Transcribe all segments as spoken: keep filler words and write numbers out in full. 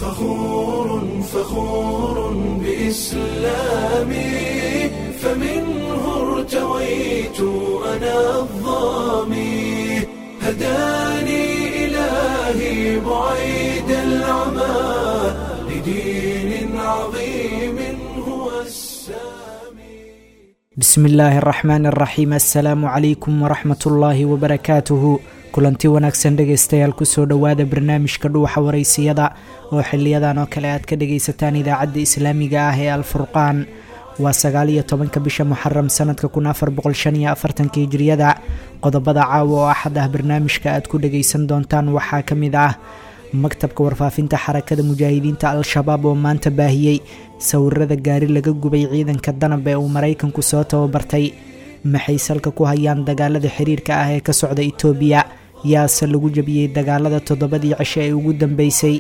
فخور فخور بإسلامي، فمنه ارتويت أنا الظامي، هداني إلهي بعيد العمى لدين عظيم هو السامي. Bismi illaahi araxmaan araxiim. Assalaamu calaykum waraxmatullaahi wabarakaatuhu. Kulanti wanaagsan dhegaystayaal, kusoo dhowaada barnaamijka Dhuuxa Waraysiyada oo xiliyadan oo kale aad ka dhagaysataan idaacadda islaamiga ah ee Alfurqaan. Waa sagaal iyo tobanka bisha Muxaram sanadka kun afar boqol shan iyo afartanka Hijriyada. Qodobada caawa oo Axad ah barnaamijka aad ku dhagaysan doontaan waxaa ka mid ah maktabka warfaafinta Xarakada Mujaahidiinta Al-Shabaab oo maanta baahiyey sawirada gaari laga gubay ciidanka Danab ee uu Maraykanku soo tababartay. Maxay salka ku hayaan dagaalada xiriirka ah ee ka socda Itoobiya? Yaase lagu jabiyey dagaalada toddobadii cisho ee ugu dambeysay?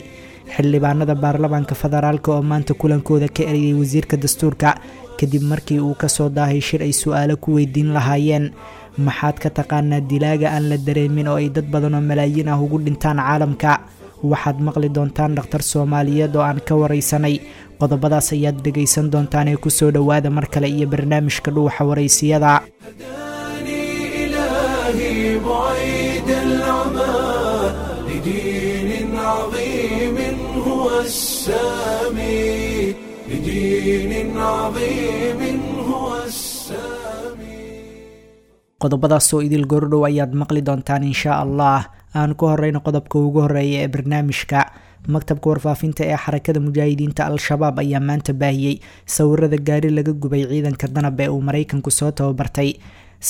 Xildhibaanada baarlamaanka federaalk oo maanta kulankooda ka erayay wasiirka dastuurka kadib markii uu kasoo daahay shir ay su-aalo ku weydiin lahaayeen. Maxaad ka taqaanaa dilaaga aan la dareemin oo ay dad badan oo malaayiin ah ugu dhintaan caalamka? Waxaad maqli doontaan dhakhtar Soomaaliyeed oo aan ka waraysanay. Qodobadaas ayaad dhegaysan doontaan ee kusoo dhowaada mar kale iyo barnaamijka Dhuuxa Waraysiyada. هداني إلهي بعيد العمى لدين عظيم هو السامي، لدين عظيم هو السامي. Qodobadaas oo idil goordhow ayaad maqli doontaan inshaa Allah. Aan ku horeyno qodobka ugu horeeya ee barnaamijka. Maktabka warfaafinta ee Xarakada Mujaahidiinta Al-Shabaab ayaa maanta baahiyey sawirada gaari laga gubay ciidanka Danab ee uu Maraykanku soo tababartay.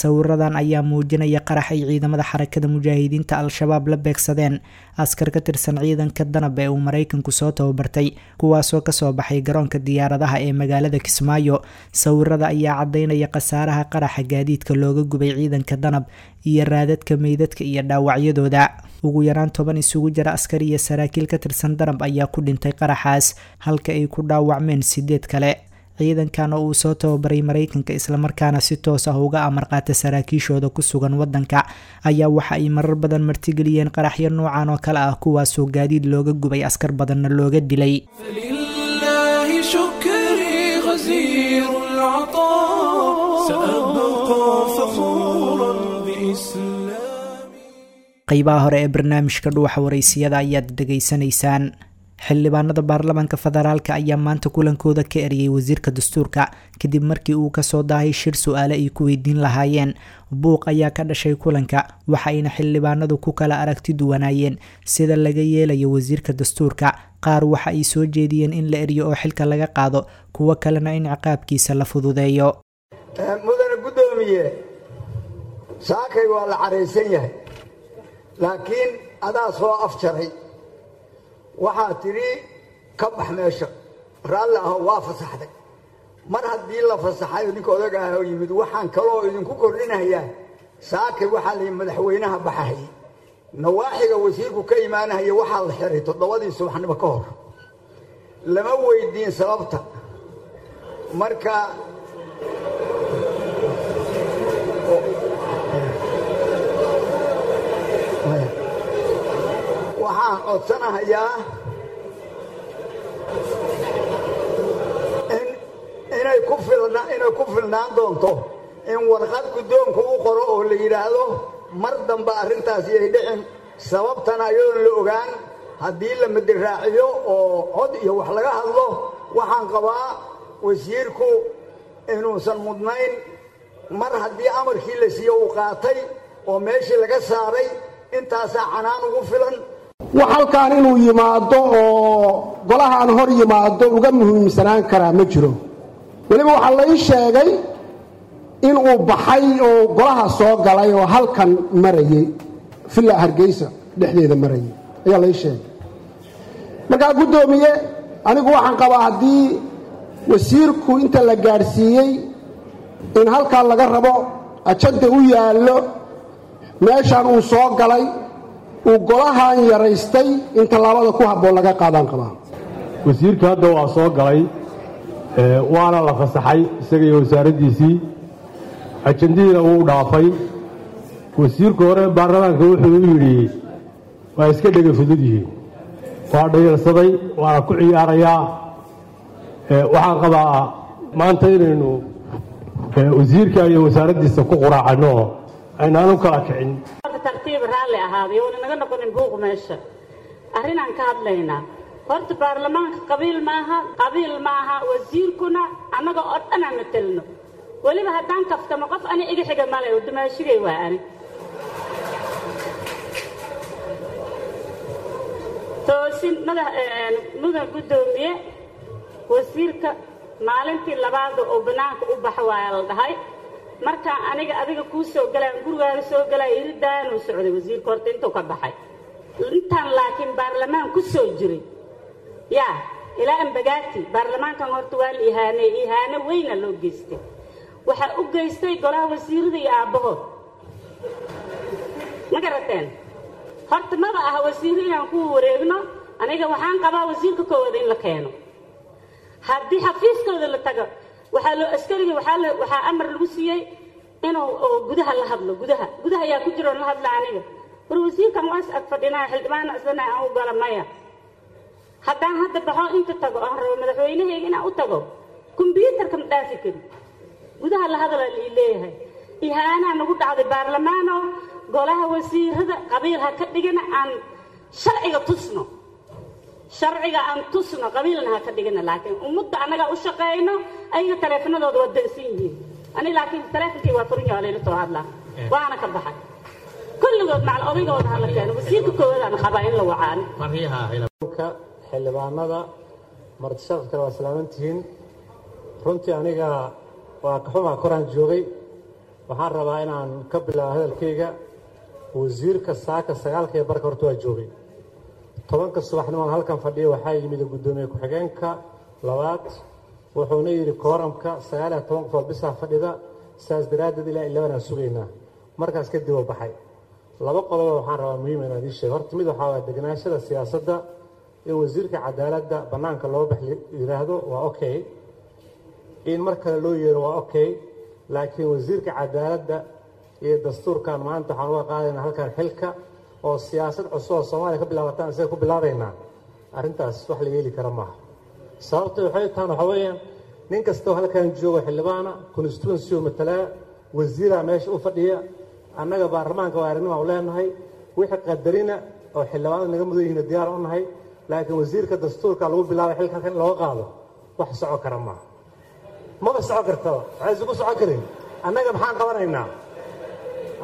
Sawiradan ayaa muujinaya qarax ay ciidamada Xarakada Mujaahidiinta Al-Shabaab la beegsadeen askar ka tirsan ciidanka Danab ee uu Maraykanku soo tababartay, kuwaasoo kasoo baxay garoonka diyaaradaha ee magaalada Kismaayo. Sawirada ayaa cadaynaya khasaaraha qaraxa gaadiidka looga gubay ciidanka Danab iyo raadadka meydadka iyo dhaawacyadooda. Ugu yaraan toban isugu jira askar iyo saraakiil ka tirsan Danab ayaa ku dhintay qaraxaas, halka ay ku dhaawacmeen sideed kale. Ciidankan oo uu soo tababaray Maraykanka islamarkaana si toos ah uga amar qaata saraakiishooda ku sugan wadanka ayaa waxa ay marar badan martigeliyeen qaraxyo noocan oo kale ah, kuwaasoo gaadiid looga gubay askar badanna looga dilay. فلله شكري غزير العطاء، سأبقى فخورا بإسلامي. Qeybaha hore ee barnaamijka Dhuuxa Waraysiyada ayaad dhegaysanaysaan. Xildhibaanada baarlamaanka federaalka ayaa maanta kulankooda ka eriyey wasiirka dastuurka kadib markii uu kasoo daahay shir su-aale ay ku weydiin lahaayeen. Buuq ayaa ka dhashay kulanka, waxayna xildhibaanadu ku kala aragti duwanaayeen sida laga yeelayo wasiirka dastuurka. Qaar waxa ay soo jeediyeen in la eriyo oo xilka laga qaado, kuwo kalena in ciqaabkiisa la fududeeyo. Mudane guddoomiye, saakay waa la caraysan yahay, laakiin adaa soo afjaray. Waxaa tidhi ka bax meesha, raalli aho, waa fasaxday. Mar haddii la fasaxay oo ninka odaga ah oo yimid, waxaan kaloo idinku kordhinayaa, saakay waxaa la yidhi madaxweynaha baxahayay, nawaaxiga wasiirku ka imaanahaya waxaa la xiray toddobadii subaxnimo ka hor. Lama weydiin sababta. Marka waxaan codsanahayaa in inay ku filna inay ku filnaan doonto in warqad guddoonku u qoro oo la yidhaahdo mar dambe arrintaas yay dhicin, sababtana iyadoon la ogaan haddii la madiraaciyo oo cod iyo wax laga hadlo. Waxaan qabaa wasiirku inuusan mudnayn mar haddii amarkii la siiye uu qaatay oo meeshii laga saaray. Intaasaa canaan ugu filan. Wax halkaan inuu yimaado oo golahaan hor yimaado uga muhiimsanaan karaa ma jiro. Weliba waxaa la ii sheegay in uu baxay oo golaha soo galay oo halkan marayey, Villa Hargeysa dhexdeeda marayay ayaa la ii sheegay. Markaa guddoomiye, anigu waxaan qabaa haddii wasiirku inta la gaadhsiiyey in halkan laga rabo ajanda u yaallo, meeshaan uu soo galay uu golahan yaraystay, in tallaabada ku habboon laga qaadaan qabaa. Wasiirka hadda waa soo galay, waana la fasaxay isaga iyo wasaaraddiisii, ajandihiina wuu dhaafay. Wasiirku hore baarlamaanka wuxuu u yidhi waa iska dhega fudud yihiin. Waa dhayalsaday, waana ku ciyaarayaa. Waxaan qabaa maanta inaynu wasiirka iyo wasaaraddiisa ku quraacanno, aynaan u kala kicin. Tartiib, raalli ahaaday, oona naga noqonin buuq. Meesha arrinaan ka hadlaynaa horta baarlamaanka qabiil maaha, qabiil maaha. Wasiirkuna annaga oo dhan aan matelno. Weliba haddaan kaftamo, qof ani iga xiga male oo dumaashigay waa ani. Toosin madax, mudan guddoomiye, wasiirka maalintii labaada oo bannaanka u baxa waaya la dhahay. Markaan aniga adiga kuu soo galaan, gurigaaga soo galaya, iridaanuu socday wasiirka horta intuu ka baxay intaan, laakiin baarlamaan ku soo jiray yaa ilaa Ambagaati. Baarlamaankan horta waa la ihaaneey, ihaano weyna loo geystay. Waxaa u geystay golaha wasiirada iyo aabbahood, ma garateen? Horta maba aha wasiirro inaan ku wareegno. Aniga waxaan qabaa wasiirka koowaad in la keeno. Haddii xafiiskooda la tago, waxaa loo askariga waxaa la waxaa amar lagu siiyey inuu oo gudaha la hadlo. Gudaha, gudaha ayaa ku jiro la hadla. Aniga war wasiirkan waa is ag fadhinaa, xildhibaana islana aan u gala maya. Haddaan hadda baxo, inta tago aan rabo madaxweynahayga inaan u tago, kombyuutarka ma dhaafi kari, gudaha la hadala lii leeyahay. Ihaanaa nagu dhacday baarlamaano. Golaha wasiirada qabiil ha ka dhigana, aan sharciga tusno, sharciga aan tusno, qabiilna ha ka dhigana. Laakiin ummadda annagaa u shaqayno, ayaga taleefanadooda waa dansan yihiin. Ani laakiin taleefonkii waa furan yahay, layla soo hadlaa, waana ka baxay. Kulligood macal odaygooda hala keeno. Wasiirka koowaad aan qabaa in la wacaani. Xildhibaanada, marti sharafkale, waa salaamantihiin. Runtii aniga waa kaxumaa koraan joogay. Waxaan rabaa inaan ka bilaabo hadalkayga wasiirka saaka sagaalka ee barka horta waa joogay. Tobanka subaxnimo halkan fadhiya waxaa yimid guddoomiye ku-xigeenka labaad, wuxuuna yidhi kooramka sagaal iyo toban qof oo bisaa fadhida, saas daraaddeed ilaa eleven aan sugaynaa. Markaas kadib oo baxay. Laba qodoba waxaan rabaa muhiim inaan idiin sheego. Horta mid waxaa waaya deganaashada siyaasadda. In wasiirka cadaaladda bannaanka loo bax yidhaahdo waa okay, in mar kale loo yeero waa okay, laakiin wasiirka cadaaladda iyo dastuurkan maanta waxaan uga qaadaynaa halkan xilka oo siyaasad cusub oo Soomaaliya ka bilaabataan isaga ku bilaabaynaa, arrintaas wax la yeeli kara maaha. Sababta waxay tahan waxaa weeyaan nin kastoo halkan joogo xildhibaana constituency oo matalaa, wasiiraa meesha u fadhiya. Annaga baarlamaanka waa aragnimo u leenahay, wixii qadarina oo xildhibaanada naga mudan yihiin diyaar u nahay, laakiin wasiirka dastuurka lagu bilaabay xilka halkan in looga qaado wax soco kara maaha, maba soco kartaba. Waxay isugu soco karin, annaga maxaan qabanaynaa?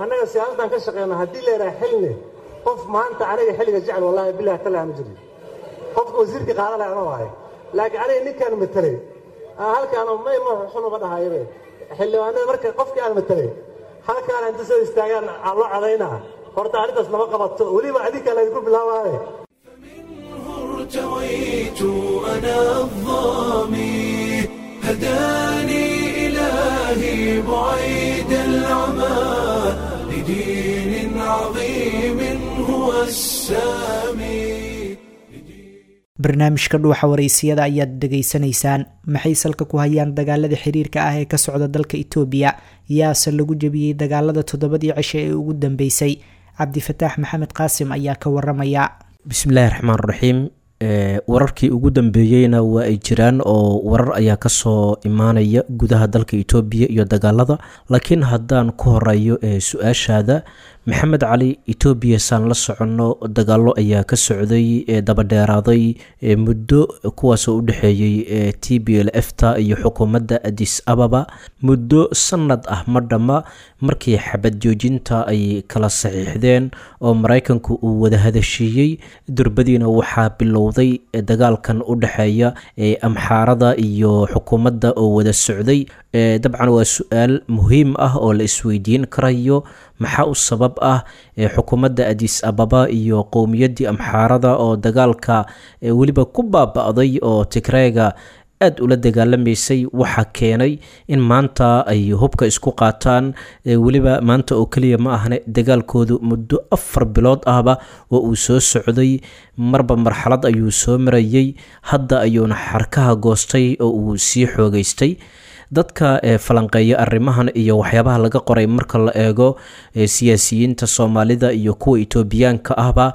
Annaga siyaasaddan ka shaqeyna. Haddii la yidhaha xilni qof maanta aniga xilliga jecel, wallahi billahi tala ma jirin. Qofka wasiirkii qaadan lahaa ama waaye, laakiin aniga ninkaan matelay halkaan may ma xunuma dhahayabe xildhibaanada. Marka qofkii aan matelay halkaan inta soo istaagaan aan loo cadaynaa, horta arrintaas lama qabato, weliba adinka laydinku bilaabaaye. ارتويت أنا الظامي، هداني إلهي بعيد العمى لدين عظيم هو السامي. Barnaamijka Dhuuxa Wareysiyada ayaad dhegaysanaysaan. Maxay salka ku hayaan dagaalada xiriirka ah ee ka socda dalka Itoobiya? Yaase lagu jebiyey dagaalada toddobadii cishe ee ugu dambeysay? Cabdifataax Maxamed Qaasim ayaa ka waramaya. Bismillahi raxmaan raxiim. Wararkii ugu dambeeyeyna waa ay jiraan oo warar ayaa kasoo imaanaya gudaha dalka Itoobiya iyo dagaalada, laakiin haddaan ku horeeyo ee su-aashaada, Maxamed Cali, Itoobiya saan la soconno dagaalo ayaa ka socday ee dabadheeraaday muddo, kuwaasoo u dhexeeyey T B L F ta iyo xukuumadda Addis Ababa muddo sanad ah ma dhamma. Markii xabad joojinta ay kala saxiixdeen oo Maraykanku uu wada hadashiiyey, durbadiina waxaa bilowday dagaalkan u dhexeeya Amxaarada iyo xukuumadda oo wada socday. Dabcan waa su-aal muhiim ah oo la isweydiin karayo: maxaa u sabab ah xukuumadda Addis Ababa iyo qowmiyaddii Amxaarada oo dagaalka weliba ku baaba-day oo Tigreega aada ula dagaalamaysay? Waxaa keenay in maanta ay hubka isku qaataan, weliba maanta oo keliya ma ahne, dagaalkoodu muddo afar bilood ahba oo uu soo socday, marba marxalad ayuu soo marayay, hadda ayuuna xarkaha goostay oo uu sii xoogeystay. Dadka falanqeeya arrimahan iyo waxyaabaha laga qoray marka la eego siyaasiyiinta Soomaalida iyo kuwa Itoobiyaanka ahba,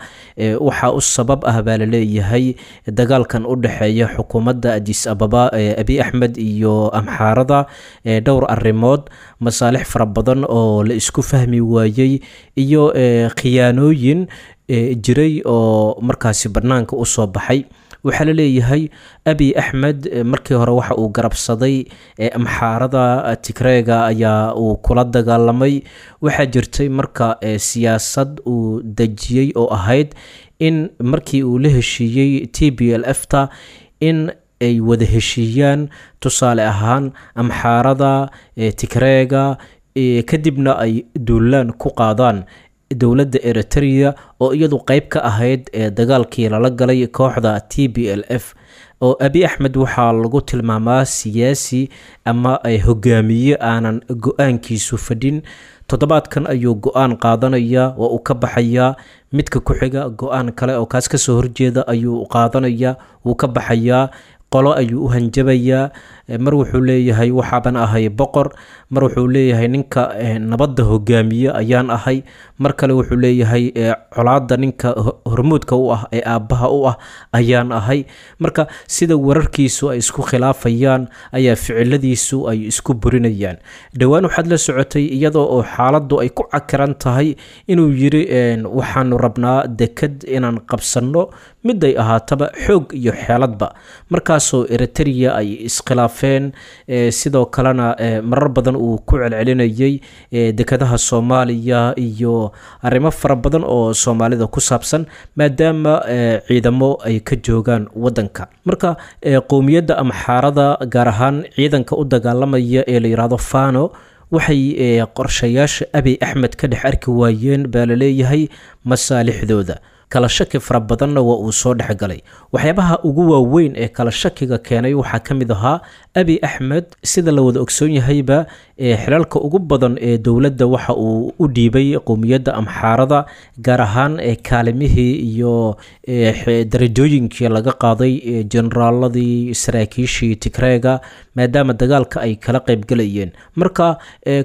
waxaa u sabab ah baa laleeyahay dagaalkan u dhexeeya xukuumadda Addis Ababa ee Abiy Axmed iyo Amxaarada dhowr arrimood: masaalix fara badan oo la isku fahmi waayey iyo khiyaanooyin jiray oo markaasi bannaanka usoo baxay. Waxaa la leeyahay Abiy Axmed markii hore waxa uu garabsaday Amxaarada, Tigreega ayaa uu kula dagaalamay. Waxaa jirtay marka siyaasad uu dejiyey oo ahayd in markii uu la heshiiyey T B L F ta in ay wada heshiiyaan, tusaale ahaan Amxaarada, Tigreega, kadibna ay duulaan ku qaadaan dowladda Eritrea oo iyadu qeyb ka ahayd ee dagaalkii lala galay kooxda T B L F. Oo Abiy Axmed waxaa lagu tilmaamaa siyaasi ama hogaamiye aanan go-aankiisu fadhin. Toddobaadkan ayuu go-aan qaadanaya, waa uu ka baxayaa, midka ku xiga go-aan kale oo kaas kasoo horjeeda ayuu qaadanaya, wuu ka baxayaa, qolo ayuu u hanjabayaa. Mar wuxuu leeyahay waxaaban ahay boqor, mar wuxuu leeyahay ninka nabadda hogaamiye ayaan ahay, mar kale wuxuu leeyahay colaadda ninka hormuudka u ah ee aabbaha u ah ayaan ahay. Marka sida wararkiisu ay isku khilaafayaan ayaa ficiladiisu ay isku burinayaan. Dhowaan waxaad la socotay iyadoo oo xaaladdu ay ku cakiran tahay inuu yiri waxaanu rabnaa dekad inaan qabsanno, miday ahaataba xoog iyo xeeladba, markaasoo Eritrea ay iskhilaafeen. Sidoo kalena marar badan uu ku celcelinayay dekadaha Soomaaliya iyo arrimo fara badan oo Soomaalida ku saabsan, maadaama ciidamo ay ka joogaan wadanka. Marka qowmiyadda Amxaarada, gaar ahaan ciidanka u dagaalamaya ee la yidhaahdo Fano, waxay qorshayaasha Abiy Axmed ka dhex arki waayeen baa laleeyahay masaalixdooda. Kala shaki fara badanna waa uu soo dhexgalay. Waxyaabaha ugu waaweyn ee kala shakiga keenay waxaa ka mid ahaa Abiy Axmed, sida la wada ogsoon yahayba, xilalka ugu badan ee dowladda waxa uu u dhiibay qowmiyadda Amxaarada, gaar ahaan kaalimihii iyo darajooyinkii laga qaaday generaaladii, saraakiishii Tigreega, maadaama dagaalka ay kala qaybgalayeen. Marka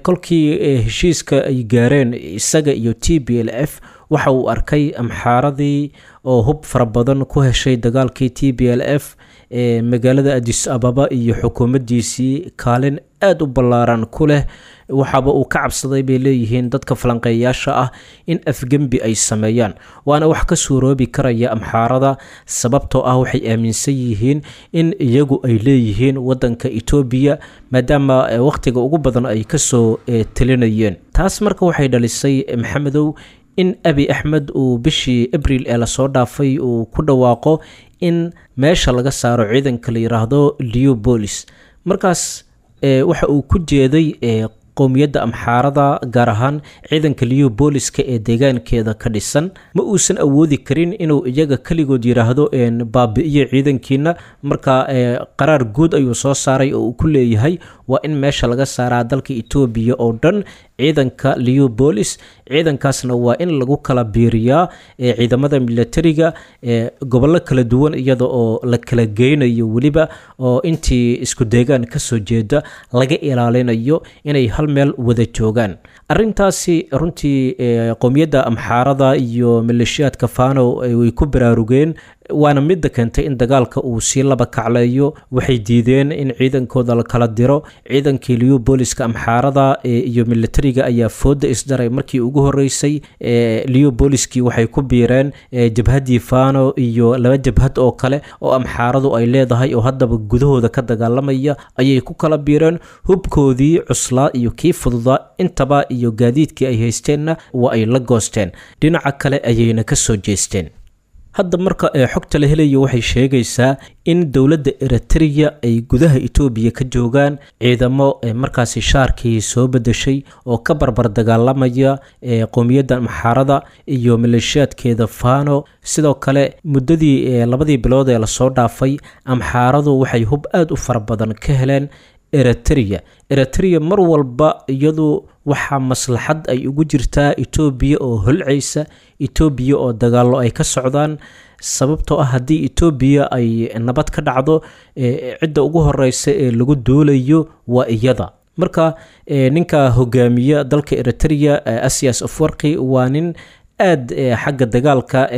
kolkii heshiiska ay gaareen isaga iyo T B L F, waxa uu arkay Amxaaradii oo hub fara badan ku heshay dagaalkii T B L F ee magaalada Addis Ababa iyo xukuumaddiisii kaalin aada u ballaaran ku leh. Waxaaba uu ka cabsaday bay leeyihiin dadka falanqeeyaasha ah in afgembi ay sameeyaan, waana wax ka suuroobi karaya Amxaarada, sababtoo ah waxay aaminsan yihiin in iyagu ay leeyihiin wadanka Itoobiya, maadaama wakhtiga ugu badan ay kasoo talinayeen. Taas marka waxay dhalisay, Maxamedow, in Abiy Axmed uu bishii Abriil ee lasoo dhaafay uu ku dhawaaqo in meesha laga saaro ciidanka la yiraahdo Leopolis. Markaas waxa uu ku jeeday qowmiyadda Amxaarada, gaar ahaan ciidanka Leopoliska ee deegaankeeda ka dhisan. Ma uusan awoodi karin inuu iyaga keligood yiraahdo baabi'iyo ciidankiina. Marka qaraar guud ayuu soo saaray oo uu ku leeyahay waa in meesha laga saaraa dalka Itoobiya oo dhan ciidanka Leopolis, ciidankaasna waa in lagu kala biiriyaa ciidamada militariga ee gobollo kala duwan, iyada oo la kala geynayo weliba oo intii isku deegaan kasoo jeeda laga ilaalinayo inay hal meel wada joogaan. Arrintaasi runtii qowmiyadda Amxaarada iyo maleeshiyaadka Fano way ku baraarugeen, waana midda keentay in dagaalka uu sii laba kacleeyo. Waxay diideen in ciidankooda la kala diro. Ciidankii Leopoliska Amxaarada iyo militariga ayaa fooda isdaray markii ugu horeysay. Leopoliskii waxay ku biireen jabhaddii Fano iyo laba jabhad oo kale oo Amxaaradu ay leedahay oo haddaba gudahooda ka dagaalamaya ayay ku kala biireen. Hubkoodii cuslaa iyo kii fududaa intaba iyo gaadiidkii ay haysteenna waa ay la goosteen, dhinaca kale ayayna ka soo jeesteen. Hadda marka xogta la helayo waxay sheegaysaa in dowladda Eritrea ay gudaha Itoobiya ka joogaan ciidamo markaasi shaarkii soo bedeshay oo ka barbar dagaalamaya qowmiyadda Amxaarada iyo maleeshiyaadkeeda Fano. Sidoo kale muddadii labadii bilood ee lasoo dhaafay Amxaaradu waxay hub aada u fara badan ka heleen Eritrea. Eritrea mar walba iyadu waxaa maslaxad ay ugu jirtaa Itoobiya oo holcaysa, Itoobiya oo dagaallo ay ka socdaan. Sababtoo ah haddii Etoobiya ay nabad ka dhacdo, cidda ugu horeysa ee lagu duulayo waa iyada. Marka ninka hogaamiya dalka Eritrea, Asias Afwarqi, waa nin aad xagga dagaalka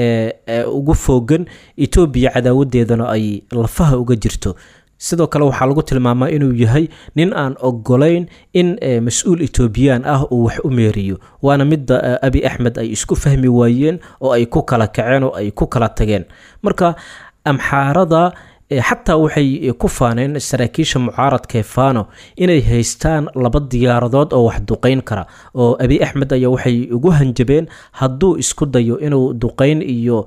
ugu foogan, Etoobiya cadaawadeedana ay lafaha uga jirto. Sidoo kale waxaa lagu tilmaamaa inuu yahay nin aan ogolayn in mas-uul Etoobiyaan ah uu wax u meeriyo, waana midda Abi Axmed ay isku fahmi waayeen oo ay ku kala kaceen oo ay ku kala tageen. Marka Amxaarada xataa waxay ku faaneen saraakiisha mucaaradka ee Fano inay haystaan laba diyaaradood oo wax duqeyn kara, oo Abi Axmed ayaa waxay ugu hanjabeen hadduu isku dayo inuu duqeyn iyo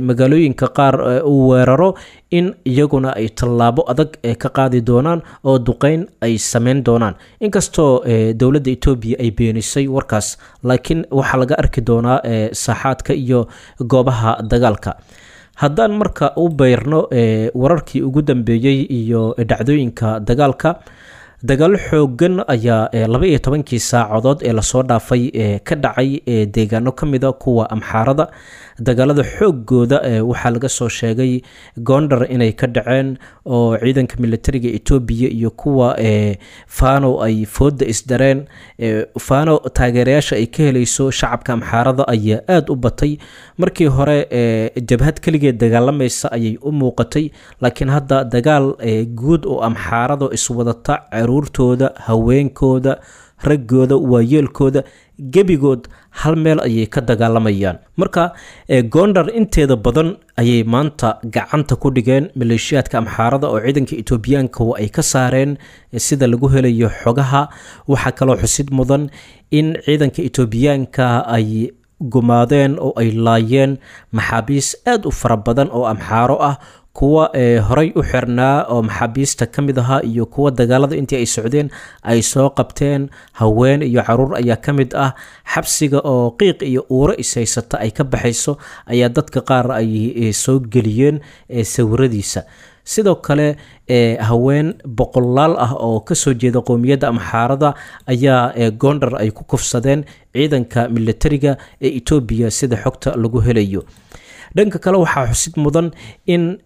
magaalooyinka qaar uu weeraro in iyaguna ay tallaabo adag ka qaadi doonaan oo duqeyn ay sameyn doonaan. Inkastoo dowladda Etoobiya ay beenisay warkaas, laakiin waxaa laga arki doonaa saaxaadka iyo goobaha dagaalka. Haddaan marka u beyrno wararkii ugu dambeeyey iyo dhacdooyinka dagaalka, dagaalo xoogan ayaa laba iyo tobankii saacadood ee lasoo dhaafay ka dhacay deegaano ka mida kuwa Amxaarada. Dagaalada xoogooda waxaa laga soo sheegay Gondar inay ka dhaceen, oo ciidanka militariga Etoobiya iyo kuwa Fano ay fooda isdareen. Fano taageerayaasha ay ka helayso shacabka Amxaarada ayaa aada u batay. Markii hore jabhad keligeed dagaalamaysa ayay u muuqatay, laakiin hadda dagaal guud oo Amxaarada iswadata, caruurtooda, haweenkooda, raggooda, waayeelkooda, gebigood hal meel ayay ka dagaalamayaan. Marka Gondar inteeda badan ayay maanta gacanta ku dhigeen maleeshiyaadka Amxaarada oo ciidanka Etoobiyaanka wa ay ka saareen, sida lagu helayo xogaha. Waxaa kaloo xusid mudan in ciidanka Etoobiyaanka ay gumaadeen oo ay laayeen maxaabiis aada u fara badan oo Amxaaro ah, kuwa horey u xirnaa oo maxaabiista ka mid ahaa iyo kuwa dagaalada intii ay socdeen ay soo qabteen. Haween iyo caruur ayaa ka mid ah. Xabsiga oo qiiq iyo uuro ishaysata ay ka baxayso ayaa dadka qaar ay soo geliyeen sawiradiisa. Sidoo kale haween boqolaal ah oo kasoo jeeda qowmiyadda Amxaarada ayaa Gondar ay ku kufsadeen ciidanka militariga ee Etoobiya, sida xogta lagu helayo. Dhanka kale waxaa xusid mudan in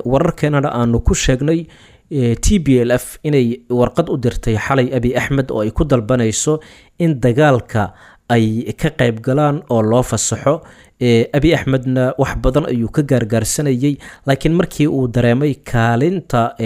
wararkeenana aanu ku sheegnay T B L F inay warqad u dirtay xalay Abi Axmed oo ay ku dalbanayso in dagaalka ay ka qayb galaan oo loo fasaxo. Abi Axmedna wax badan ayuu ka gaargaarsanayay, laakiin markii uu dareemay kaalinta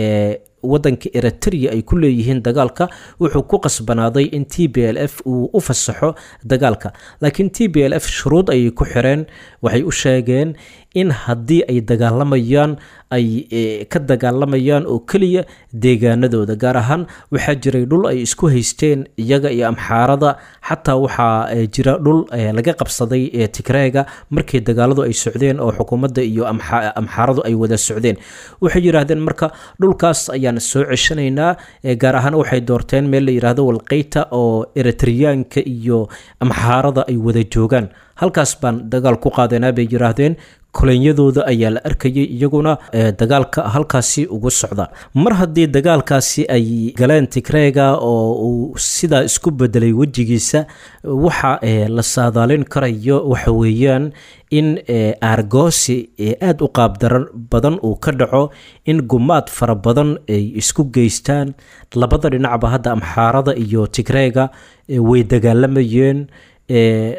wadanka Eritrea ay ku leeyihiin dagaalka, wuxuu ku qasbanaaday in T B L F uu u fasaxo dagaalka. Laakiin T B L F shuruud ayay ku xireen. Waxay u sheegeen in haddii ay dagaalamayaan ay ka dagaalamayaan oo keliya deegaanadooda. Gaar ahaan waxaa jiray dhul ay isku haysteen iyaga iyo Amxaarada, xataa waxaa jira dhul laga qabsaday Tigreega markii dagaaladu ay socdeen oo xukuumadda iyo Amxaaradu ay wada socdeen. Waxay yidhaahdeen marka dhulkaas ayaan soo ceshanaynaa. Gaar ahaan waxay doorteen meel la yidhaahdo Walqeyta oo Eritriyaanka iyo Amxaarada ay wada joogaan, halkaas baan dagaal ku qaadanaa bay yidhaahdeen. Kolonyadooda ayaa la arkayay iyaguna dagaalka halkaasi ugu socda. Mar haddii dagaalkaasi ay galeen Tigreega oo uu sidaa isku bedelay wejigiisa, waxa la saadaalin karayo waxa weeyaan in aargoosi aada u qaabdaran badan uu ka dhaco, in gumaad fara badan ay isku geystaan labada dhinacba. Hadda Amxaarada iyo Tigreega way dagaalamayeen,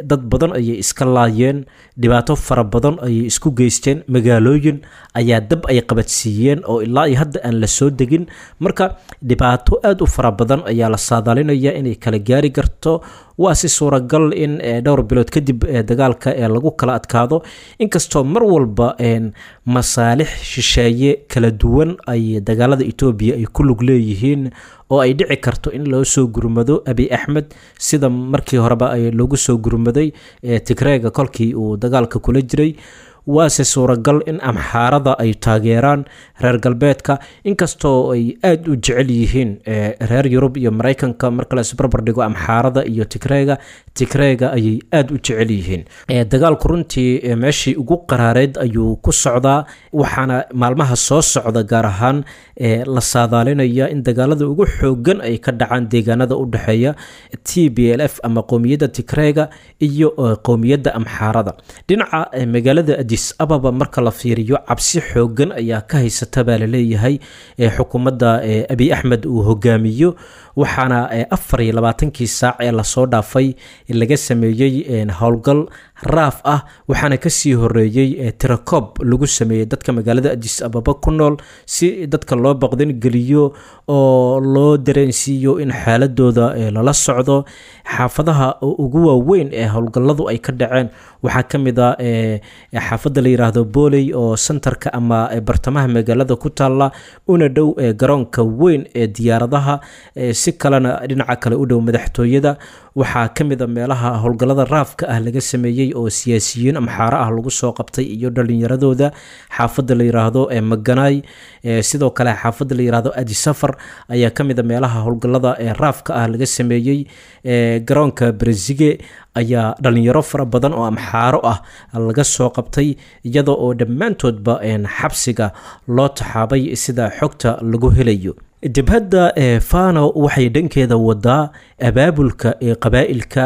dad badan ayay iska laayeen, dhibaato fara badan ayay isku geysteen, magaalooyin ayaa dab ay qabadsiiyeen oo ilaa iyo hadda aan la soo degin. Marka dhibaato aada u fara badan ayaa la saadaalinaya inay kala gaari karto. Waa si suuragal in dhowr bilood kadib dagaalka ee lagu kala adkaado, inkastoo mar walba masaalix shisheeye kala duwan ay dagaalada Etoobiya ay ku lug leeyihiin, oo ay dhici karto in loo soo gurmado Abi Axmed sida markii horeba ay loogu soo gurmaday Tigreega kolkii uu dagaalka kula jiray. Waase suuragal in Amxaarada ay taageeraan reer galbeedka, inkastoo ay aada u jecel yihiin reer Yurub iyo Maraykanka. Marka la isbarbar dhigo Amxaarada iyo Tigreega, Tigreega ayay aada u jecel yihiin. Dagaalku runtii meeshii ugu qaraareed ayuu ku socdaa, waxaana maalmaha soo socda gaar ahaan la saadaalinaya in dagaalada ugu xoogan ay ka dhacaan deegaanada u dhexeeya T B L F ama qowmiyadda Tigreega iyo qowmiyadda Amxaarada. Dhinaca magaalada Adis Ababa marka la fiiriyo cabsi xoogan ayaa ka haysata baa laleeyahay xukuumadda Abiy Axmed uu hogaamiyo, waxaana afar iyo labaatankii saac ee lasoo dhaafay laga sameeyey howlgal raaf ah, waxaana kasii horeeyey tirakoob lagu sameeyey dadka magaalada Adis Ababa ku nool si dadka loo baqdin geliyo oo loo dareensiiyo in xaaladooda lala socdo. Xaafadaha ugu waaweyn ee howlgalladu ay ka dhaceen waxaa ka mid a xaafadda la yiraahdo Booley oo sentarka ama bartamaha magaalada ku taalla, una dhow garoonka weyn ee diyaaradaha, si kalena dhinaca kale u dhow madaxtooyada. Waxaa ka mid a meelaha howlgallada raafka ah laga sameeyey oo siyaasiyiin amxaaro ah lagu soo qabtay iyo dhalinyaradooda xaafadda la yiraahdo Maganaay. Sidoo kale xaafadda la yiraahdo Adisafar ayaa ka mid a meelaha howlgallada raafka ah laga sameeyey. Garoonka Brezige ayaa dhalinyaro fara badan oo amxaaro ah laga soo qabtay, iyada oo dhammaantoodba xabsiga loo taxaabay sida xogta lagu helayo. Jabhadda Fano waxay dhankeeda wadaa abaabulka ee qabaa'ilka,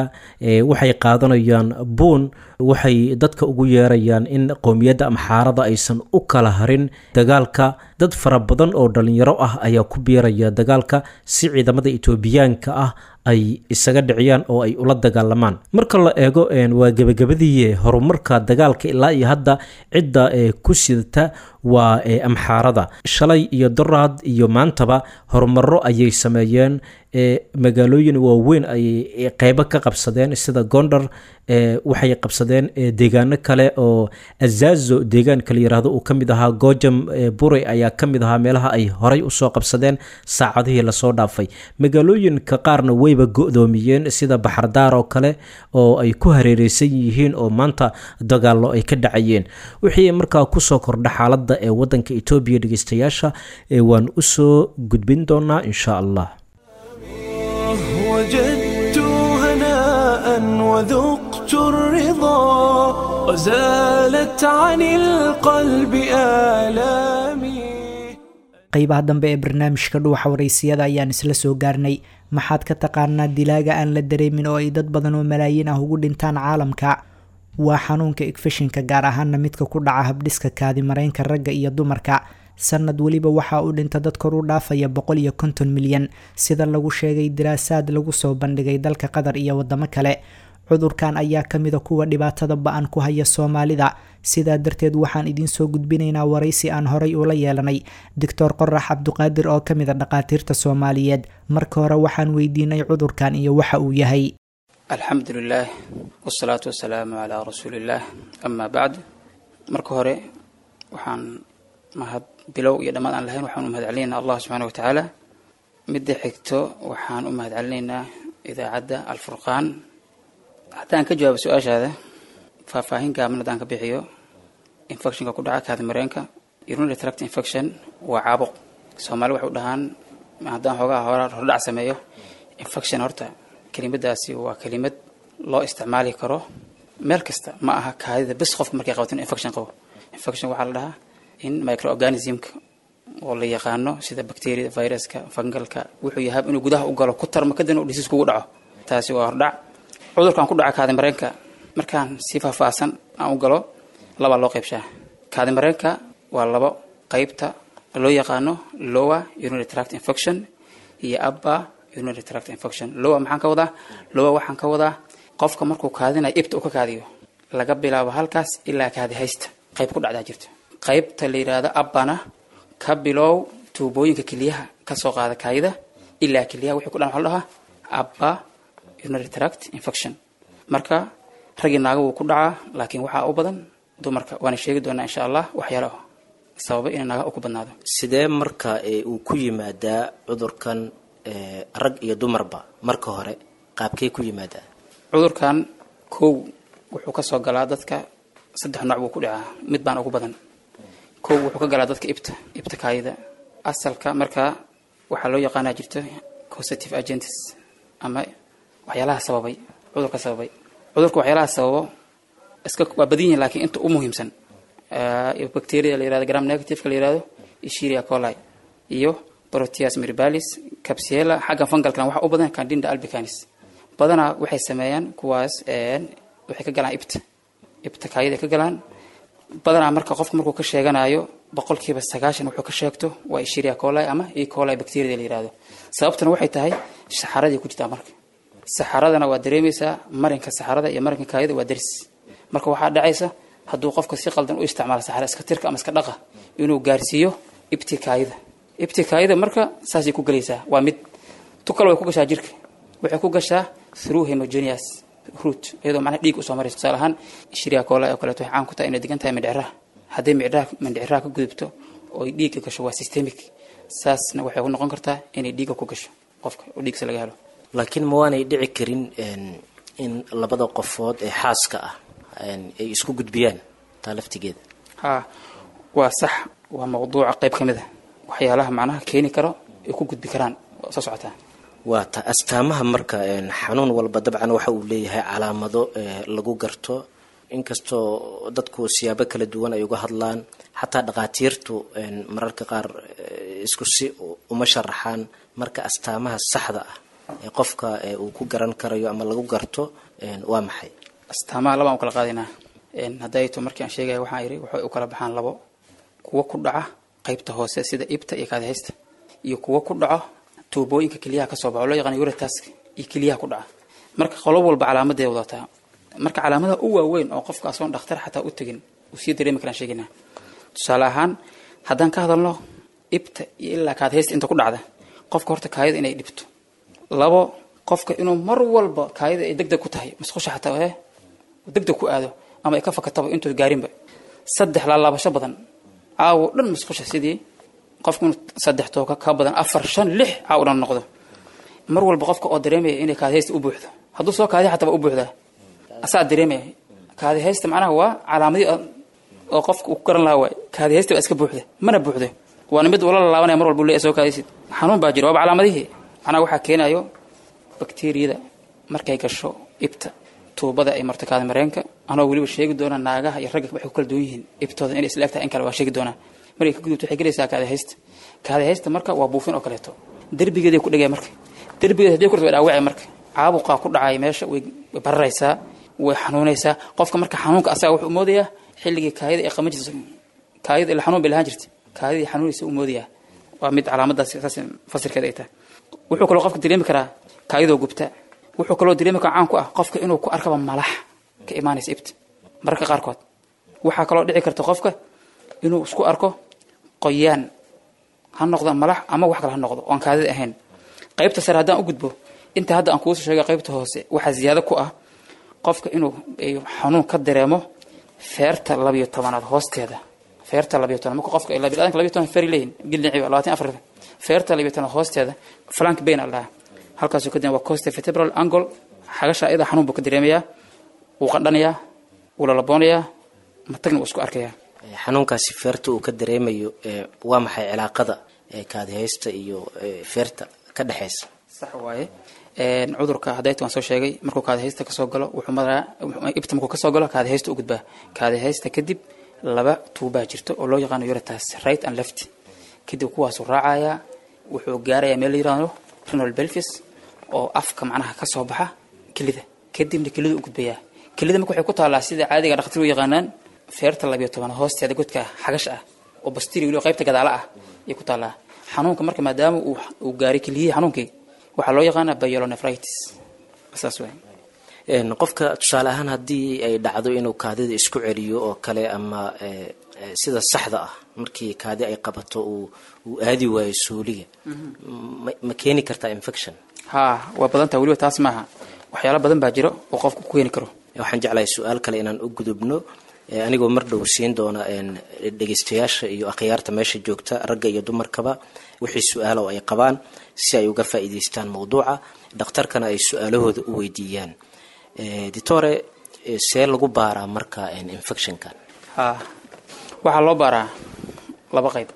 waxay qaadanayaan buun, waxay dadka ugu yeerayaan in qowmiyadda amxaarada aysan u kala harin dagaalka. Dad fara badan oo dhalinyaro ah ayaa ku biiraya dagaalka si ciidamada Itoobiyaanka ah ay isaga dhiciyaan oo ay ula dagaalamaan. Marka la eego waa gebagabadii horumarka dagaalka ilaa iyo hadda cidda ku sidata waa amxaarada. Shalay iyo doraad iyo maantaba horumaro ayay sameeyeen, magaalooyin waaweyn ayay qeybo ka qabsadeen sida Gondar, waxay qabsadeen deegaano kale oo Azazo deegaanka la yiraahdo uu ka mid ahaa, Gojam Bure ayaa ka mid ahaa meelaha ay horay usoo qabsadeen saacadihii lasoo dhaafay. Magaalooyinka qaarna wayba go'doomiyeen sida Baxardaar oo kale oo ay ku hareereysan yihiin oo maanta dagaallo ay ka dhacayeen. Wixii markaa kusoo kordha xaaladda ee wadanka Itoobiya dhegeystayaasha waan usoo gudbin doonaa insha Allah. وجدت هناء وذقت الرضا وزالت عن القلب آلامي. Qaybaha dambe ee barnaamijka Dhuuxa Wareysiyada ayaan isla soo gaarnay. Maxaad ka taqaanaa dilaaga aan la dareemin oo ay dad badan oo malaayiin ah ugu dhintaan caalamka? Waa xanuunka igfishinka, gaar ahaana midka ku dhaca habdhiska kaadimareynka ragga iyo dumarka. Sanad weliba waxaa u dhinta dad kor u dhaafaya boqol iyo konton milyan, sida lagu sheegay diraasaad lagu soo bandhigay dalka Qatar iyo wadamo kale. Cudurkan ayaa kamida kuwa dhibaatada ba-an ku haya Soomaalida. Sidaa darteed waxaan idiin soo gudbinaynaa waraysi aan horay ula yeelanay Doctor Qorax Cabduqaadir oo kamid a dhaqaatiirta Soomaaliyeed. Marka hore waxaan weydiinay cudurkan iyo waxa uu yahay. Alxamdulilaah wasalaatu wasalaamu calaa rasuulillaah, amaa bacd. Marka hore waxaan mahad bilow iyo dhammaad aan lahayn waxaan u mahad celinaynaa Allah subxaana wa tacaala. Midda xigto waxaan u mahad celinaynaa idaacadda Alfurqaan. Haddaan ka jawaabo su-aashaada, faahfaahin gaaban haddaan ka bixiyo infectionka ku dhaca kaadimareenka, urinary tract infection waa caabuq. Soomaali waxay u dhahaan, haddaan xoogaha hora hordhac sameeyo, infection horta kelimadaasi waa kelimad loo isticmaali karo meel kasta, ma aha kaadida bes. Qofka markay qabato inuu infection qabo, infection waxaa la dhahaa in microorganismka oo la yaqaano sida bacteria, viruska, fungalka, wuxuu yahay inuu gudaha u galo, ku tarmo, kadibna uu disease kugu dhaco. Taasi waa hordhac. Cudurkan ku dhaca kaadimareenka markaan si faahfaahsan aan u galo, labaa loo qaybshaa. Kaadimareenka waa labo qaybta loo yaqaano lower urinary tract infection iyo upper urinary tract infection. Lower maxaan ka wadaa? Lower waxaan ka wadaa qofka markuu kaadinayo ibta uu ka kaadiyo, laga bilaabo halkaas ilaa kaadi haysta qayb ku dhacdaa jirto. Qaybta la yidhaahdo uppana ka bilow tuubooyinka keliyaha kasoo qaada kaadida ilaa keliyaha wixii ku dhan waxa la dhahaa upper urinary tract infection. Marka raggii naaga wuu ku dhacaa, laakiin waxaa u badan dumarka, waana sheegi doonaa insha Allah waxyaalo sababa inay naaga ku badnaado. Sidee marka uu ku yimaadaa cudurkan rag iyo dumarba? Marka hore qaabkee ku yimaadaa cudurkan? Kow, wuxuu kasoo galaa dadka saddex nooc buu ku dhacaa, mid baan ugu badan. Kow, wuxuu ka galaa dadka ibta ibta kaayida asalka. Marka waxaa loo yaqaanaa jirto causative agents ama waxyaalaha sababay cudurka. Sababay cudurka waxyaalaha sababo iska waa badan yihin, laakiin inta u muhiimsan bacteria la yirahdo gram negative la yirahdo Escherichia coli iyo Proteus mirabilis, Klebsiella. Xagga fungalkana waxaa u badan Candida albicans. Badanaa waxay sameeyaan kuwaas, waxay ka galaan ibta ibta kaayida ka galaan. Badanaa marka qofka markuu ka sheeganayo boqolkiiba sagaashan wuxuu ka sheegto waa Escherichia coli ama E. coli bacteria la yiraahdo. Sababtuna waxay tahay saxaradii ku jirtaa. Marka saxaradana waa dareemaysaa, marinka saxarada iyo marinka kaadida waa daris. Marka waxaa dhacaysa hadduu qofka si qaldan u isticmaalo saxara iska tirka ama iska dhaqa inuu gaarsiiyo ibti kaadida. Ibti kaadida marka saasay ku gelaysaa. Waa mid tu kale way ku gashaa jirka, waxay ku gashaa through hematogenous route, iyadoo macnaha dhiig usoo marayso. Tusaale ahaan Escherichia coli oo kaleeto waxay caan ku tahay inay degan tahay mindhiciraha. Hadday mindhiciraha mindhiciraha ka gudubto oo ay dhiigga gasho waa systemic, saasna waxay ku noqon kartaa inay dhiigga ku gasho qofka oo dhiigsa laga helo. Laakiin ma waanay dhici karin in labada qofood ee xaaska ah ay isku gudbiyaan taa laftigeeda? Ha, waa sax, waa mawduuca qayb ka mid a waxyaalaha macnaha keeni karo ay ku gudbi karaan waa soo socotaa. Waa ta astaamaha. Marka xanuun walba dabcan waxa uu leeyahay calaamado lagu garto, inkastoo dadku siyaabo kala duwan ay uga hadlaan, xataa dhakhaatiirtu mararka qaar isku si uma sharaxaan. Marka astaamaha saxda ah ee qofka uu ku garan karayo ama lagu garto waa maxay? Astaamaha labaan u kala qaadaynaa. Hadday to markii aan sheegaya waxaan yidhi waxay u kala baxaan labo: kuwo ku dhaca qaybta hoose sida ibta iyo kaadihaysta, iyo kuwo ku dhaco tuubooyinka keliyaha kasoo baxo loo yaqaan ureters iyo keliyaha ku dhaca. Marka qolo walba calaamadeeda wadataa. Marka calaamadaha u waaweyn oo qofka asoon dhakhtar xataa u tegin uu sii dareemi karaan sheegaynaa. Tusaale ahaan haddaan ka hadalno ibta iyo ilaa kaadihaysta inta ku dhacda, qofka horta kaayada inay dhibto. Labo, qofka inuu mar walba kaayada ay degdeg ku tahay, musqusha xataa ee degdeg ku aado ama ay ka fakataba intuu gaarinba. Saddex, laalaabasho badan, caawo dhan musqusha, sidii qofku inuu saddex tooka ka badan, afar, shan, lix caawo dhan noqdo. Mar walba qofka oo dareemaya inay kaadihaysta u buuxdo, hadduu soo kaadiya xataa waa u buuxdaa, asaa dareemaya kaadihaysta. Macnaha waa calaamadii oo qofka uu ku garan lahaa waay, kaadihaysta waa iska buuxda mana buuxdo, waana mid ula laalaabanaya mar walba uu leeyahay soo kaadiysid, xanuun baa jira. Waaba calaamadihii. Macnaha waxaa keenayo bakteeriyada markay gasho ibta tuubada ay marto kaadi mareenka, anoo weliba sheegi doona naagaha iyo ragga waxay ku kala duwan yihiin ibtooda inay isla egtahay in kale waa sheegi doonaa. Markay ka gudubto waxay gelaysaa kaadi haysta. Kaadi haysta marka waa buufin oo kaleeto, derbigeeday ku dhigaya. Marka derbigeeda hadday ku way dhaawacay, marka caabuqaa ku dhacaya meesha, way way bararaysaa, way xanuunaysaa qofka. Marka xanuunka asaga wuxuu moodayaa xilligii kaayada ay qaban jirtay, kaayada ila xanuun bay lahaan jirtay, kaayadii xanuunaysa u moodayaa. Waa mid calaamadaas saas fasirkeeda ay tahay. Wuxuu kaloo qofka dareemi karaa kaayadoo gubta. Wuxuu kaloo dareemi karaa, caan ku ah qofka inuu ku arkaba malax ka imaanaysa ibta mararka qaarkood. Waxaa kaloo dhici karta qofka inuu isku arko qoyaan, ha noqdo malax ama wax kale ha noqdo oon kaadida ahayn. Qaybta sare haddaan u gudbo, inta hadda aan kuusoo sheegay qaybta hoose waxaa ziyaado ku ah qofka inuu xanuun ka dareemo feerta labiyo tobanaad hoosteeda. Feerta labiyo toban marka qofka biniadamka labiyo toban feer leeyihin gildhinaciba labaatan afar, feerta labiyo tobanaad hoosteeda, flank pain la dhahaa, halkaasuu ka dareema, waa costovertebral angle. Xagasha ayada xanuun buu ka dareemayaa, wuu qandhanayaa, wuu lalaboonayaa, matagna wuu isku arkayaa. Xanuunkaasi feerta uu ka dareemayo waa maxay cilaaqada kaadihaysta iyo feerta ka dhexeysa? Sax waaye. Cudurka hadayta waan soo sheegay, markuu kaadihaysta kasoo galo wuxuu maraa ibta, markuu kasoo galo kaadihaysta u gudbaa. Kaadihaysta kadib laba tuubaa jirto oo loo yaqaano ureters, right and left. Kadib kuwaasuu raacayaa, wuxuu gaarayaa meel la yiraahdo renal pelvis oo afka macnaha kasoo baxa kelida, kadibna kelida u gudbayaa. Kelida marka waxay ku taallaa sida caadiga dhakhaatiir u yaqaanaan feerta labiyo toban hoosteeda, godka xagasha ah oo bastiri weliba qaybta gadaala ah ayay ku taallaa. Xanuunka marka maadaama uu uu gaaray keliyihii, xanuunkii waxaa loo yaqaanaa pyelonephritis, saas waay. Qofka tusaale ahaan haddii ay dhacdo inuu kaadida isku celiyo oo kale ama sida saxda ah markii kaadi ay qabato uu uu aadi waayo suuliga, ma ma keeni kartaa infection? Haa, waa badan taha weliba, taas maaha, waxyaalo badan baa jiro oo qofku ku keeni karo. Waxaan jeclahay su-aal kale inaan u gudubno, anigoo mar dhow siin doona dhegeystayaasha iyo akhyaarta meesha joogta, ragga iyo dumarkaba, wixii su-aala oo ay qabaan si ay uga faa'iidaystaan mawduuca, dhakhtarkana ay su-aalahooda u weydiiyaan. Ditore, see lagu baaraa marka infectionkan? Haa, waxaa loo baaraa laba qayb.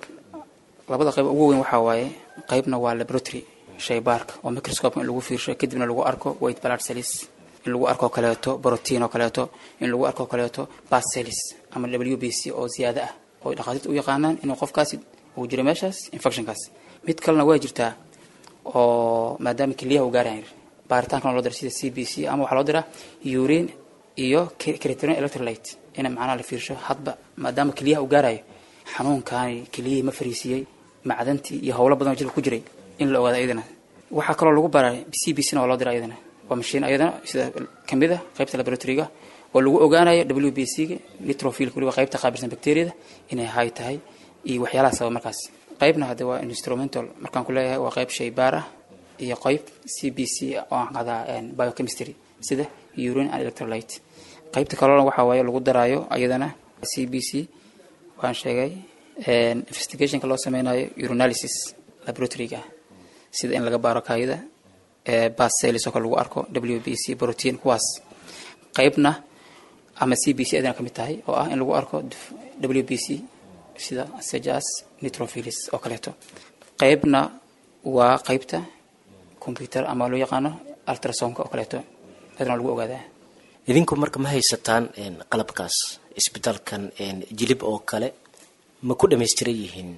Labada qayb ugu weyn waxaa waaye qaybna waa laboratory, shaybaarka oo microscope in lagu fiirsho, kadibna lagu arko white blood cells, in lagu arko kaleeto protein oo kaleeto, in lagu arko kaleeto pus cells ama W B C oo ziyaado ah oo dhakhaatiirta u yaqaanaan inuu qofkaasi uu jiro meeshaas infectionkaas. Mid kalena waa jirtaa oo maadaama keliyaha uu gaarayan baaritaankan loo dira sida C B C ama waxaa loo diraa urine iyo creatinine electrolyte. In macnaha la fiirsho hadba maadaama keliyaha uu gaarayo xanuunkaani, keliyihii ma fariisiyey, macdantii iyo howlo badan oo jirka ku jiray in la ogaado ayadana. Waxaa kaloo lagu baraa C B C na waa loo dira ayadana, waa mashiin ayadana sida kamid ah qaybta laboratoryga oo lagu ogaanayo W B C ga, neutrophil, weliba qaybta qaabilsan bacteriada inay high tahay iyo waxyaalaha sababa markaas. Qaybna hadda waa instrumental, markaan ku leeyahay waa qayb shaybaar ah iyo qayb C B C oo aan qadaa biochemistry sida urine and electrolyte. Qaybta kalena waxaa waaye lagu daraayo ayadana C B C waan sheegay, investigationka loo sameynayo urinalysis laboratoryga, sida in laga baaro kaayida, bacillus oo kale lagu arko, W B C protein kuwaas. Qaybna ama C B C ayadana kamid tahay oo ah in lagu arko W B C sida sejas neutrophils oo kaleeto. Qaybna waa qaybta computer ama loo yaqaano ultrasoundka oo kaleeto, ayadana lagu ogaadaa. Idinku marka ma haysataan qalabkaas isbitaalkan Jilib oo kale? Ma ku dhamaystiran yihiin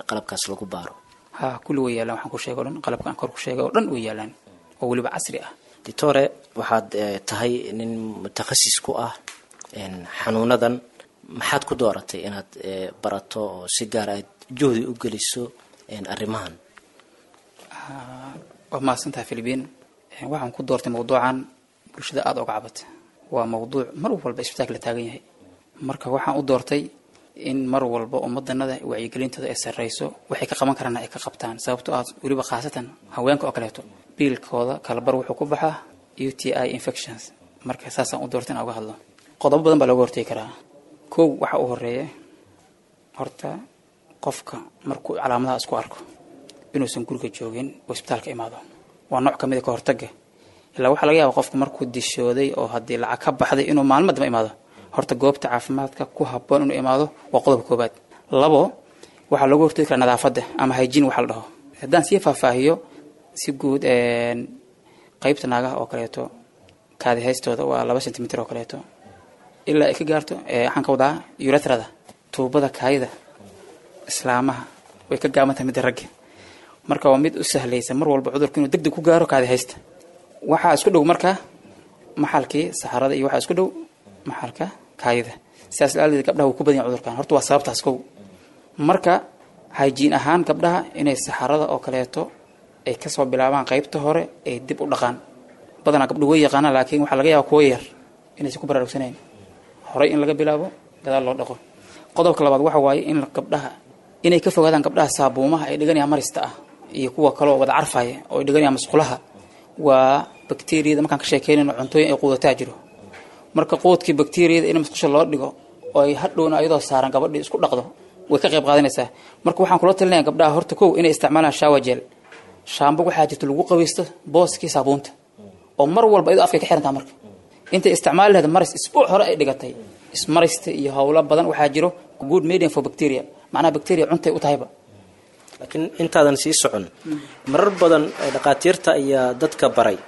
qalabkaas lagu baaro? Ha, kulli way yaalaan. Waxaan ku sheegay o dhan, qalabka aan kor ku sheegay oo dhan way yaalaan oo weliba casri ah. Ditore, waxaad tahay nin mutakhasis ku ah xanuunadan. Maxaad ku dooratay inaad barato oo si gaar aad juhdi u geliso arrimahan? Waa mahadsantahay, Philibiin. Waxaan ku doortay mawduucan bulshada aada uga cabata, waa mawduuc mar walba isbitaalka la taagan yahay. Marka waxaan u doortay in mar walba ummadanada wacyigelintooda ay sarreyso, waxay ka qaban karaan ay ka qabtaan, sababtoo ah weliba khaasatan haweenka oo kaleeto biilkooda kalabar wuxuu ku baxaa U T I infections. Marka saasaan u doortay inaan uga hadlo. Qodobo badan baa looga hortegi karaa. Kow, waxa u horeeya horta qofka markuu calaamadaha isku arko inuusan guriga joogin oo isbitaalka imaado, waa nooc kamid a ka hortagga. Ilaa waxaa laga yaaba qofku markuu dishooday oo haddii lacag ka baxday inuu maalmo damba imaado. Horta goobta caafimaadka ku habboon inuu imaado waa qodobka koobaad. Labo, waxaa looga hortagi karaa nadaafadda ama hygiene waxa la dhaho. Haddaan sii faahfaahiyo si guud, qaybta naagaha oo kaleeto kaadi haystooda waa laba centimeter oo kaleeto ilaa ay ka gaarto, waxaan ka wadaa uretrada, tuubada kaayida islaamaha way ka gaaban tahay midda ragga. Marka waa mid u sahlaysa mar walba cudurka inuu degdeg ku gaaro kaadi haysta. Waxaa isku dhow marka maxalkii saxarada iyo waxaa isku dhow maxalka kaayida, sidaas laadeed gabdhaha wuu ku badan yahay cudurkan. Horta waa sababtaas kow. Marka hygiene ahaan gabdhaha inay saxarada oo kaleeto ay kasoo bilaabaan qaybta hore ay dib u dhaqaan. Badanaa gabdhuhu way yaqaanaan, laakiin waxaa laga yaaba kuwo yar inaysan ku baraarugsanayn horey in laga bilaabo gadaal loo dhaqo. Qodobka labaad waxa waaye in gabdhaha inay ka fogaadaan gabdhaha saabuumaha ay dhiganayaan marista ah iyo kuwa kale oo wada carfaya oo ay dhiganayaan masqulaha. Waa bakteriyada markaan ka sheekeynayno cuntooyin ay quudataa jiro. Marka quudkii bakteriyada in musqusha loo dhigo oo ay hadhowna ayadoo saaran gabadhii isku dhaqdo way ka qayb qaadanaysaa. Marka waxaan kula talinaya gabdhaha horta kow inay isticmaalaan shower gel, shaambo waxaa jirta lagu qabaysto booskii saabuunta oo mar walba iyadoo afkay ka xirantaa. Marka intay isticmaali lahayd maris isbuuc hore ay dhigatay ismarista iyo howlo badan waxaa jiro good medium for bacteria, macnaha bacteria cuntay u tahayba. Laakiin intaadan sii socon, marar badan dhaqaatiirta ayaa dadka baray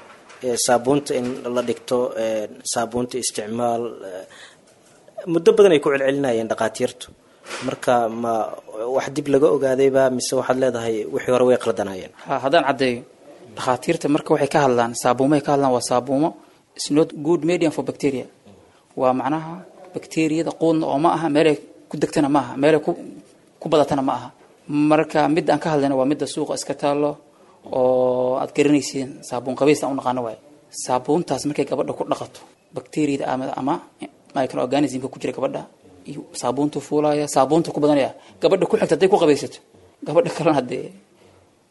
saabuunta in la dhigto, saabuunta isticmaal, muddo badan ay ku celcelinayeen dhaqaatiirtu. Marka ma wax dib laga ogaadayba mise waxaad leedahay wixii hore way qaldanaayeen? Ha, haddaan caddeeyo, dhakhaatiirta marka waxay ka hadlaan saabuumahay ka hadlaan waa saabuumo is not good medium for bacteria. Waa macnaha bacteriyada quudna oo ma aha, meelay ku degtana ma aha, meelay ku ku badatana ma aha. Marka midda aan ka hadlayna waa midda suuqa iska taallo oo aad garanaysiin, saabuun qabays aan u naqaano waaye. Saabuuntaas markay gabadha ku dhaqato bacteriyada ama ama microorganismka ku jira gabadha iyo saabuuntu fuulaya, saabuunta ku badanaya, gabadha ku xigta hadday ku qabaysato gabadha kalena haddee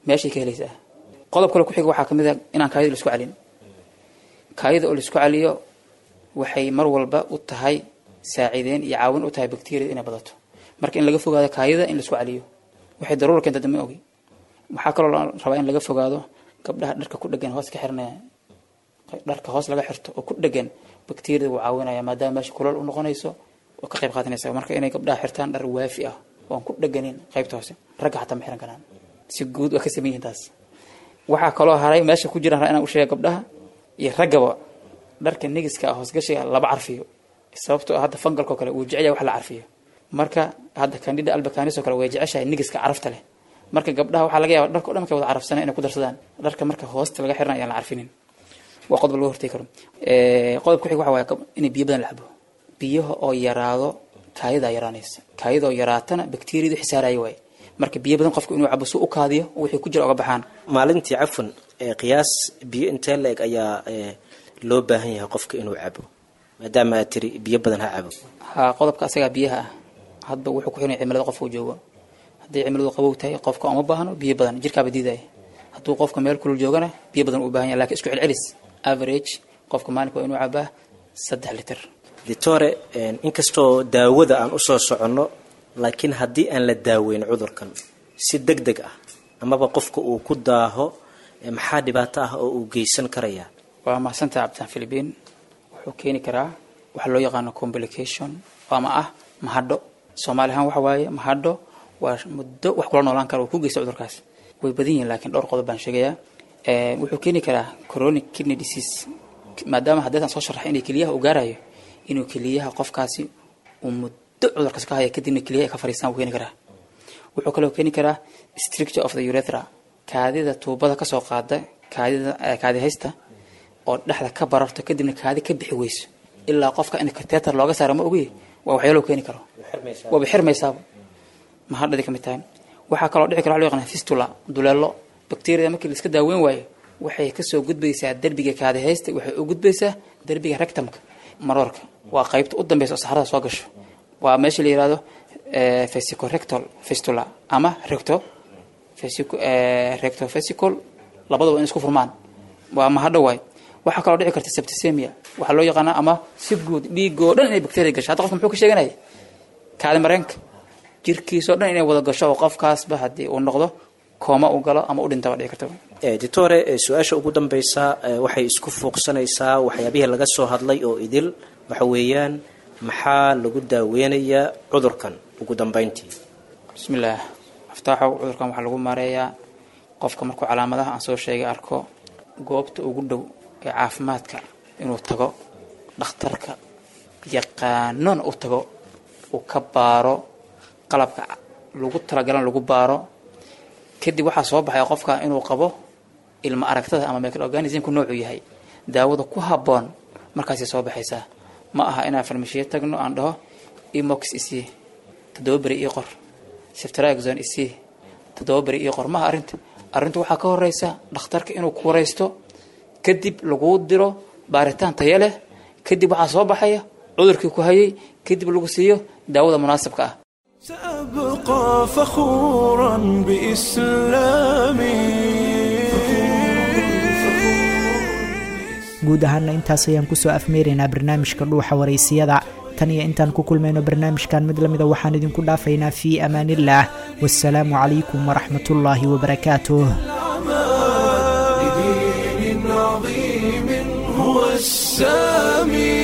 meeshay ka helaysaa. Qodob kale ku xiga waxaa kamid ah inaan kaayada la isku calin. Kaayada oo la isku caliyo waxay mar walba u tahay saaciideen iyo caawin u tahay bacteriyada inay badato. Marka in laga fogaado kaayada in la isku caliyo waxay daruura keenta dama ogi. Waxaa kaloo la rabaa in laga fogaado gabdhaha dharka ku dhegan hoos ka xiranaya, dharka hoos laga xirto oo ku dhegan bacteriyada wuu caawinaya maadaama meesha kulol u noqonayso oo ka qayb qaadanaysa. Marka inay gabdhaha xirtaan dhar waafi ah oo aan ku dheganin qaybta hoose, ragga xataa ma xiran karaan, si guud waa ka saman yihiin taas. Waxaa kaloo haray meesha ku jiraan inaan u sheega gabdhaha iyo raggaba dharka nigiska ah hoosgashiga laba carfiyo, sababtoo ah hadda fangalkoo kale wuu jecel yahay wax la carfiyo. Marka hadda candida albicans oo kale way jeceshahay nigiska carafta leh. Marka gabdhaha waxaa laga yaabaa dharka o dhan markay wada carafsanay inay ku darsadaan dharka, marka hoosta laga xiranayo aan la carfinin. Waa qodob laga hortegi karo. Qodob ku xig waxa waaye inay biyo badan la cabo. Biyaha oo yaraado kaadidaa yaraanaysa, kaadidoo yaraatana bakteriyadu xisaaraya waaye. Marka biyo badan qofka inuu cabo si u kaadiyo wixii ku jira oga baxaan. Maalintii cafwan qiyaas biyo intee la-eg ayaa loo baahan yahay qofka inuu cabo, maadaama aad tiri biyo badan ha cabo? Haa, qodobka asagaa biyaha ah hadba wuxuu ku xiran cimilada qofka uu joogo. Haddii cimiladu qabow tahay qofka uma baahno biyo badan, jirkaaba diidaya. Hadduu qofka meel kulul joogana biyo badan uu baahan yahay, lakin isku celcelis average qofka maalinka waa inuu cabaa saddex litir. Ditore, inkastoo daawada aan usoo soconno, laakiin haddii aan la daaweyn cudurkan si deg deg ah amaba qofka uu ku daaho, maxaa dhibaato ah oo uu geysan karayaa? Waa mahadsantaha Cabditaan Philibiin. Wuxuu keeni karaa waxa loo yaqaano complication ama ah mahadho. Soomaali ahaan waxa waaye mahadho waa muddo wax kula noolaan kara uu ku geysta cudurkaas. Way badan yihiin, laakiin dhowr qodob baan sheegayaa. Wuxuu keeni karaa chronic kidney disease, maadaama haddeetan soo sharaxay inay keliyaha uu gaarayo, inuu keliyaha qofkaasi uu muddo cudurkaas ka haya, kadibna keliyaha ay ka fariistaan wuu keeni karaa. Wuxuu kaloo keeni karaa stricture of the urethra, kaadida tuubada kasoo qaada kaadida kaadi haysta oo dhexda ka bararto, kadibna kaadi ka bixi weyso ilaa qofka in catheter looga saaro ma ogi. Waa waxyaalo keeni karo, waaba xirmaysaaba, mahadhadi ka mid tahay. Waxaa kaloo dhici kara waxa loo yaqaana fistula, duleelo. Bacteria markii la iska daaweyn waayo waxay kasoo gudbaysaa derbiga kaadi haysta, waxay u gudbaysaa derbiga rectumka, maroorka. Waa qaybta u dambeysa oo saxarada soo gasho, waa meesha la yihahdo vesicorectal fistula ama recto vesico rectovesical, labadaba in isku furmaan waa mahadho waay. Waxaa kaloo dhici karta septicemia waxaa loo yaqaanaa, ama si guud dhiigoo dhan inay bacteria gasho. Hadda qofka muxuu ka sheeganaya? Kaadi mareenka, jirkiisoo dhan inay wada gasho oo qofkaasba haddii uu noqdo kooma uu galo ama u dhintaba dhici karta. Ditore, su-aasha ugu dambeysa waxay isku fuuqsanaysaa waxyaabihii laga soo hadlay oo idil. Waxa weeyaan, maxaa lagu daaweynayaa cudurkan ugu dambeyntii? Bismillaah Aftaaxow, cudurkan waxaa lagu maareeyaa qofka markuu calaamadaha aan soo sheegay arko, goobta ugu dhow ee caafimaadka inuu tago, dhakhtarka yaqaanona u tago, uu ka baaro, qalabka lagu talagalan lagu baaro. Kadib waxaa soo baxay qofka inuu qabo ilma aragtada ama microorganismku noocuu yahay, daawada ku habboon markaasay soo baxaysaa. Ma aha inaan farmashiyo tagno aan dhaho imox isii toddoba beri ii qor, ceftriaxone isii toddoba beri ii qor. Maaha arrinta. Arrintu waxaa ka horeysa dhakhtarka inuu ku wareysto, kadib laguu diro baaritaan tayo leh, kadib waxaa soo baxaya cudurkii ku hayay, kadib lagu siiyo daawada munaasabka ah. سأبقى فخورا بإسلامي. Guud ahaana intaas ayaan kusoo afmeeraynaa barnaamijka Dhuuxa Waraysiyada. Tan iyo intaan ku kulmayno barnaamijkan mid lamida, waxaan idinku dhaafaynaa fii amaanillaah, wasalaamu calaykum waraxmatullaahi wabarakaatuh. لدين عظيم هو السامي،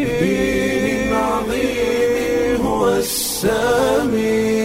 لدين عظيم هو السامي.